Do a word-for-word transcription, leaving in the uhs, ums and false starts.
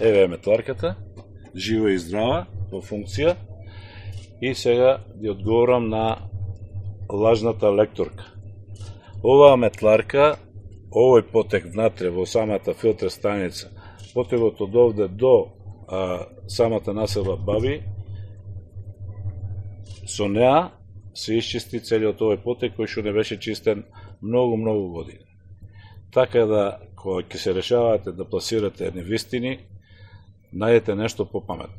Еве е метларката, жива и здрава, во функција. И сега ги одговорам на лажната лекторка. Оваа метларка, овој потек внатре во самата филтер станица, потегот од овде до а, самата населба Баби, со неа се исчисти целиот овој потек кој што не беше чистен многу, многу години. Така да, кога ќе се решавате да пласирате невистини, најдете нешто попаметно.